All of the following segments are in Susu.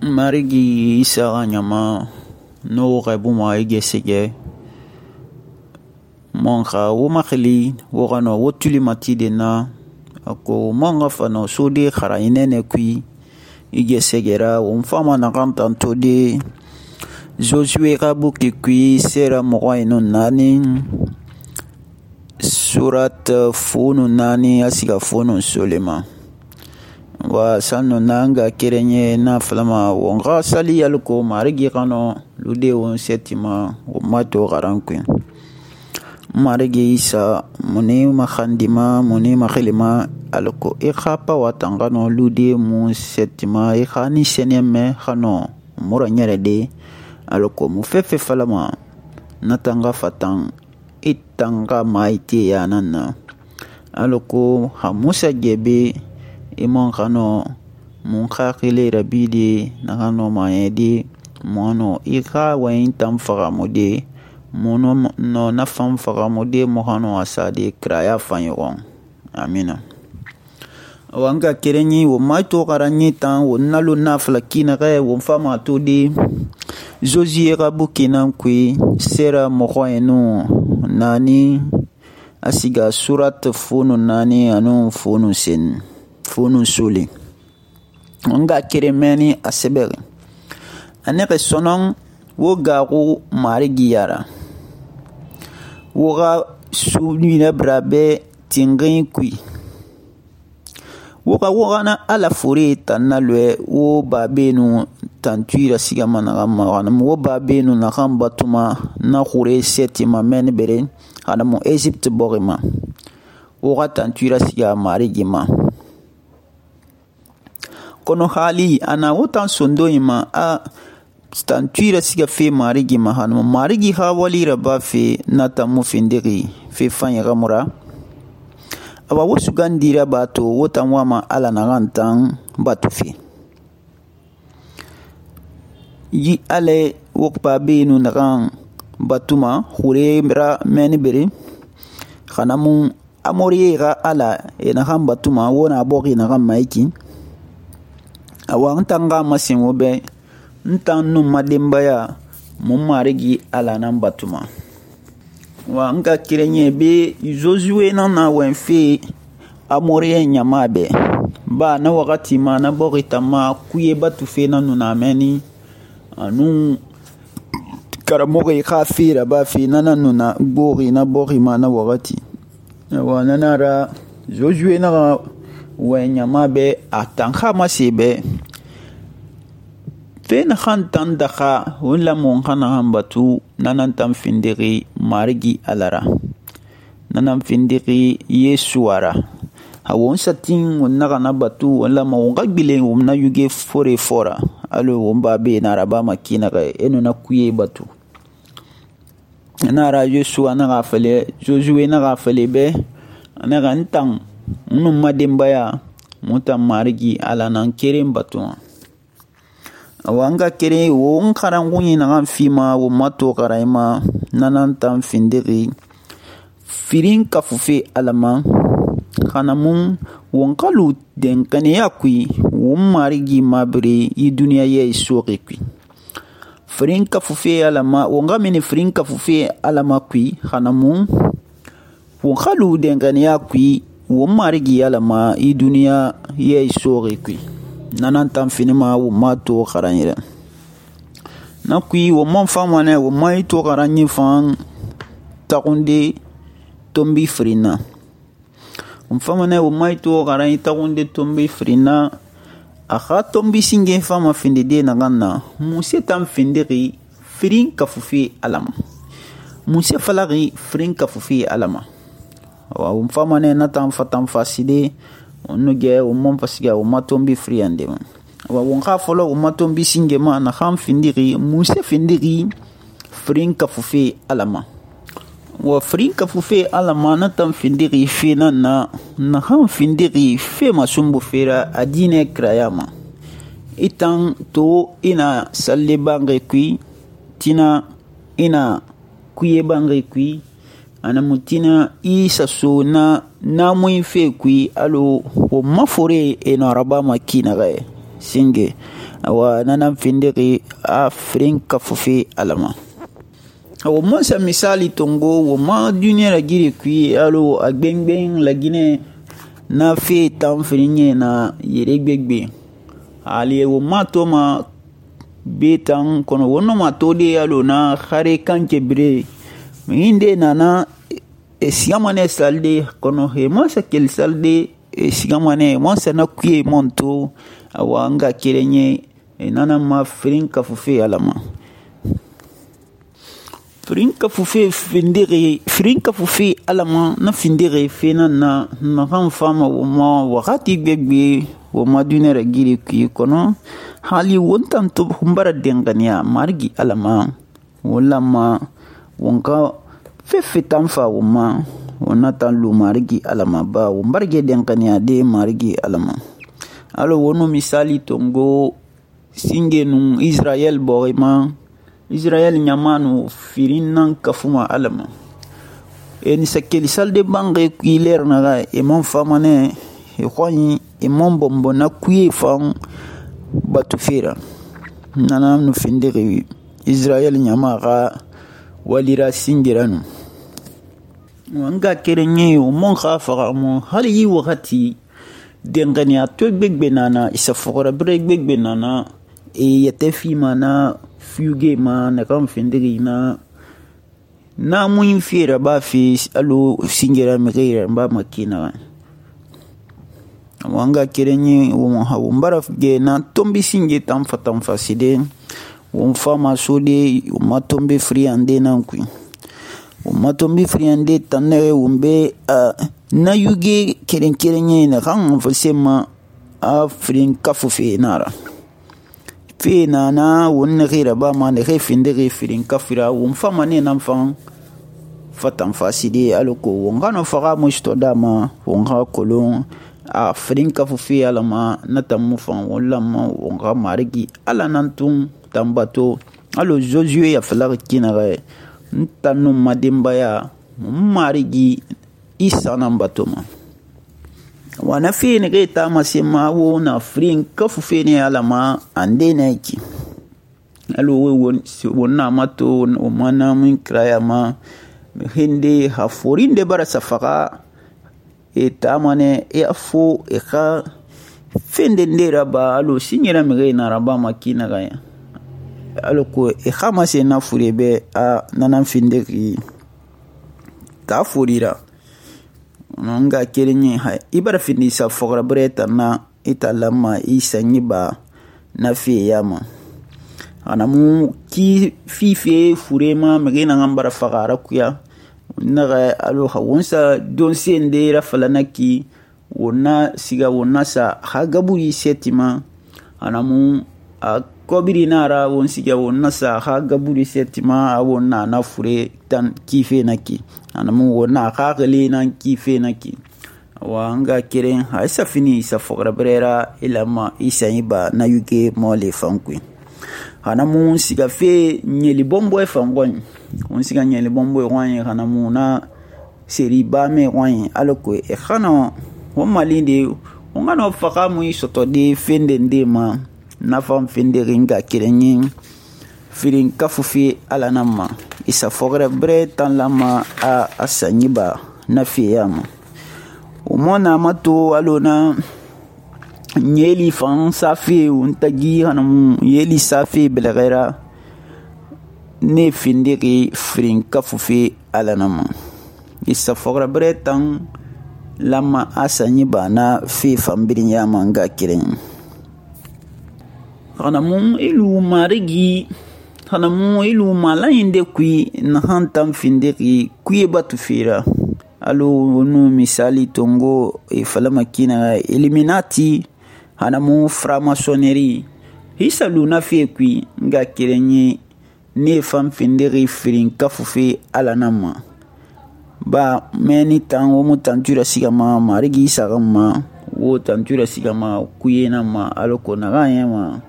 Marigi Isa xa ɲama n'o xɛbuma i gesege mon xa wo maxili wo xa nɔ wo tuli matide na a ko mon xa fa nɔ sode xara i nɛnɛ kui i gesegera wo n fama naxan tanto de Josue xa buki kui sera mɔgɔ nun naani surat funu naani a siga funu solema wa sanu nanga kerenye na falama won ga sali yalko marigi kano lude won setima o mato garankwe marigi Isa muni makhandima muni makhilima alko e khapa watangano lude mu setima e khani seneme khano mura nyerede alko mu fefe falama natanga fatan itanga maite ya nanna alko hamusa gebe imon kano mun khakile rabide na kano mayedi mono ika wayin tam fagamode mono no na fam fagamode mo kano asade kraya fanyon amina wanga kerenyi wo maito garanyi tan wo nalo na flakina ga wo fama to de Josie rabukina kui sera mohoenu nani asiga surat funu nani anu funu sen funu suli nga keremeni asebere aneke sonon wo garu marigi yara wo ga subni brabe tingin kui wo ga na ala fure tanna lwe wo babenu tantuira siga managa magana wo babenu na kan batuma na khure setima men bere ana mo Egypt borima wo ga tantuira siga marigi ma kono hali ana wotan sondo ima a tantuira siga fe marigi ma hanu marigi ha wali raba fe nata mu findiri fe fanya gamura aba wosu gandira bato wotan wama ala na gantan batu fe yi ale wokpa benu na gan batuma khure mra meni bere khana mu amori ga ala e na gan batuma wona bogi na gan maiki awa ntanga masin wobe ntan nu madembaya mun marigi ala nan batuma wa nga kirenye be Josue na wenfe amore nyama be ba na wakati ma na borita ma kuye batu fe na nuna meni anu karamoge khafira ba fe na nuna gori na bori ma na wakati wa nanara Josue na wenyama be atanka masebe fena khantan dakha wala mon khana hambatu nanan tam findiri marigi alara nanan findiri yesuara hawon satin wonna kana batu wala mo ngagbile wonna yuge fore fora alo womba be na raba makina ga eno na kuye batu na ra yesua na gafale Josue na gafale be na gantan num madembaya mutam marigi ala nan kerem batu awanga kere wo nkarangu na kan fima wo mato karaima nanan tan findiri firin kafufe alama kana mun won kalu den kane yakui wo marigi mabre yi duniya ye soke kui firin kafufe alama wonga mini firin kafufe alama kui kana mun won kalu den kane yakui wo marigi alama yi duniya ye soke kui nanan tan finima wo mato karanyira na kui wo mon famane wo mai to karanyi fan takunde tombi frina wo famane wo mai to karanyi takunde tombi frina akha tombi singe fama finde de na ganna musse tan findiri frin kafufi alama musse falari frin kafufi alama wo famane na tan fatan faside onuge o mon pasiga o matombi friande wa wonga folo o matombi singema na kham findiri musa findiri frinka fufe alama wa frinka fufe alama na tam findiri fina na kham findiri fe masumbu fera adine krayama itan to ina salle bange kui tina ina kuye bange kui ana mutina isa so na namuin fe kui alo wo mafore eno araba makina gae singe awa nanan findixi a firin kafufe alama. Wo man sa misali tongo wo ma duniya ragiri kui alo a gbengben lagine na fe tan firinye na yere gbegbe ali wo ma to ma betan kono wono ma to de alo na khare kanke bre minde nana sigamane salde kono he ma sa kel salde sigamane ma sa na kuye monto awa nga kerenye nana ma firin kafufe alama. Firin kafufe alama na findire fena na kan fama wo ma wakati gbegbe wo ma dunera giri ki kono hali wontan to humbara dengania margi alama wala ma wonka fefe tanfa wo ma wona tan lu margi alama ba wo mbarge dengania de margi alama. Alo wono misali tongo singenu Israel borima Israel nyamanu firin nan kafuma alama ni sakeli salde bange kuiler naga mon famane khoni mon bombo na kuye fam batu fera nana no findiri Israel nyama ga walira singiranu wanga kerenye mon khafa mo hali yi wakati dengani ato gbegbe nana isa fogora bre gbegbe nana yete fi mana fuge ma na kan findiri na mun fira ba fi alo singira mira ba makina wanga kerenye wo ha mbara ge na tombi singe tan faside wo fama sode wo matombe friande nan ku wo matombe friande tanere wumbe na yuge kerenye na kan fasema afrin kafufe nara fe nana wonna gira ba ma ne findiri firin kafira wo fama ne nan fan fatan faside aloko wonga no faga musto dama wonga kolon a firin kafufe alama na tamu fan wala ma wonga marigi ala nantun tambato alo Josué ya falar kinare ntanu madimba ya marigi isa nan batoma wana fi ne ga ta masema wo na firin kafufe ne alama ande ne ki alo wonna mato o mana mun kraya ma hinde haforinde bara safaka tamane afo ka fende ndera ba alo sinyera mi na raba makina ga alo ko khama se na furebe a nanan finde ki ta furira nanga kerenye ha ibara findi sa fogra breta na italama isanyi ba na fi yama ana mu ki fife furema megena ngambara fagara kuya naga alo hawonsa don sende rafalanaki wona siga wona sa hagaburi setima ana mu kobiri nara won siga wona sa hagaburi setima wona na fure tan kife naki ana mu wona khagale nan kife naki wanga keren ha isa fini isa fogra brera ilama isa iba na yuke mole fankui hana mu siga fe nyeli bombo e fangon on siga nyeli bombo e wanye hana mu na seri ba me wanye aloko e khana wo malinde on ngano faka mu isoto de fende ndema na fam fende ringa kirenyin firin kafufi ala namma isa fogra bre tan lama a asanyiba na fiyama umona mato alona nyeli fan safi untagi hanam yeli safi belagera ne findiri firin kafufi alanama isa fogra bretan lama asanyi bana fi fambirin yama nga kiren hanamun ilu marigi hanamun ilu malayinde kui na hantam findiri kuye batu fira alo nu misali tongo falama kina Illuminati hanamu franc-maçonnerie hisa luna fi kui nga kirenye ne fam findiri firin kafufe alanama ba meni tan wo mutantura sigama marigi sagama wo tantura sigama kuyena ma aloko na ganyama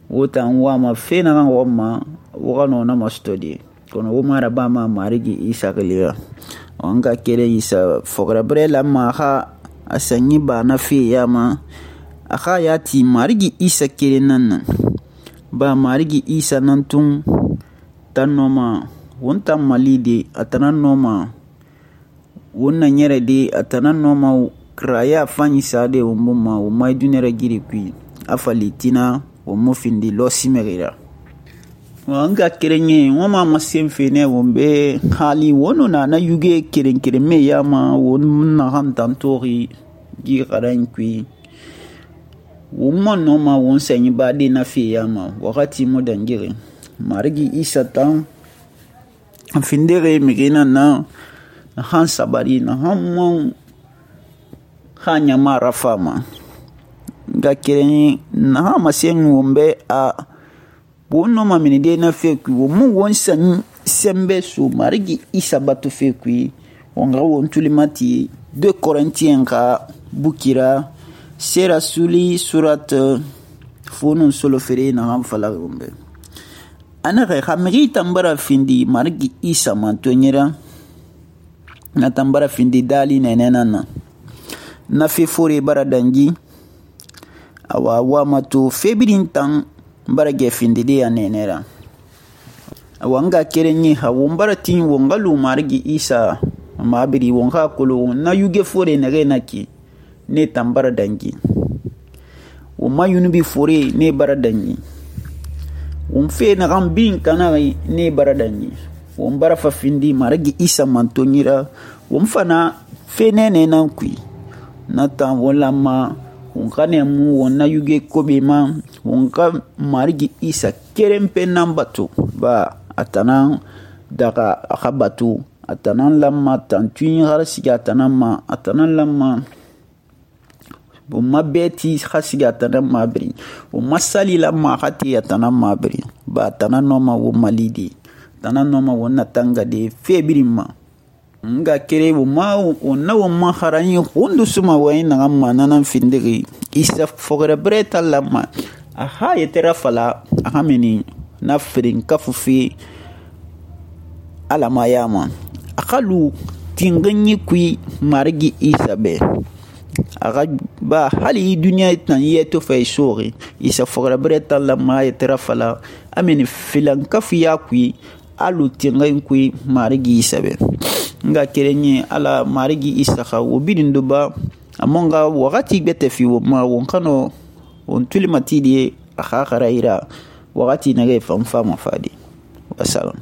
wo tan wa ma fena ga wama wo gano na mastodi kono wo mara ba ma marigi isagaliya wanga kere isa fogra brela ma ha asanyi ba na fi yama a xa yati Marigi Isa keren nan ba Marigi Isa nan tun tan nɔma won tan mali de a tanan nɔma won na ɲɛrɛ de a tanan nɔma kiraya fanyi sa de won buma won mai dunɛrɛ giri kui a fali tina won mu findi lɔsimɛgira n ka kerenɲɛ won ma masen fenɛ won be hali won na na yuge keren keren me yama won naxan tan toxi gi xaran kui won ma nɔma won sɛɲi baden na fe yama wakati mu dangire Marigi Isa tan findere migina na han sabari na han mon han ɲama rafama nga kerenɲɛ na han masen won be a won nɔma minide na fe kui won mu won sɛɲi sɛnbɛ so Marigi Isa bato fe kui won ga won tulimati 2 Korintiyɛn ka bukira sera suli surat fonun solofere na han fala won be ana xa mixi tambara findi Marigi Isa mantoɲera na tambara findi dali nɛnɛna na fe fore bara dangi awa wamato febirin tan bara gɛ findide ya nɛnɛra awa nga kerenɲɛ ha won bara tin won ga lu Marigi Isa mabiri won ka kolo na yuge fore nɛgɛ na ki ne tambara dangi won ma yunubi fore ne bara dangi won fe na kan bin kana ne bara dangi won bara fa findi Marigi Isa mantoɲira won fana fe nɛnɛ nan kui na tan won lamma won ka ne mu won na yuge kobe ma won ka Marigi Isa keren pe nan bato ba atanan daga aka bato atanan lamma tantuin har siga atanan ma atanan lamma won ma beti har siga atanan mabri won masali lamma hati atanan mabri ba atanan noma won malidi atanan noma won na tanga de febirin ma nga kere won na won ma harani hundu suma wayin na amma nanan findiri Isa fogere breta lamma aha yetera fala aha meni na firin kafufi alama yama akalu tinganyi kui Marigi Isa be aga ba hali duniya tan yeto fay sori Isa fogere breta lamma yetera fala ameni filan kafu ya kui alu tinganyi kui Marigi Isa be nga kerenye ala Marigi Isa xa wo bidin duba amonga wakati bete fi wo ma won kano won tulimati de a xa xaraira wakati nage fanfa mafadi wasalam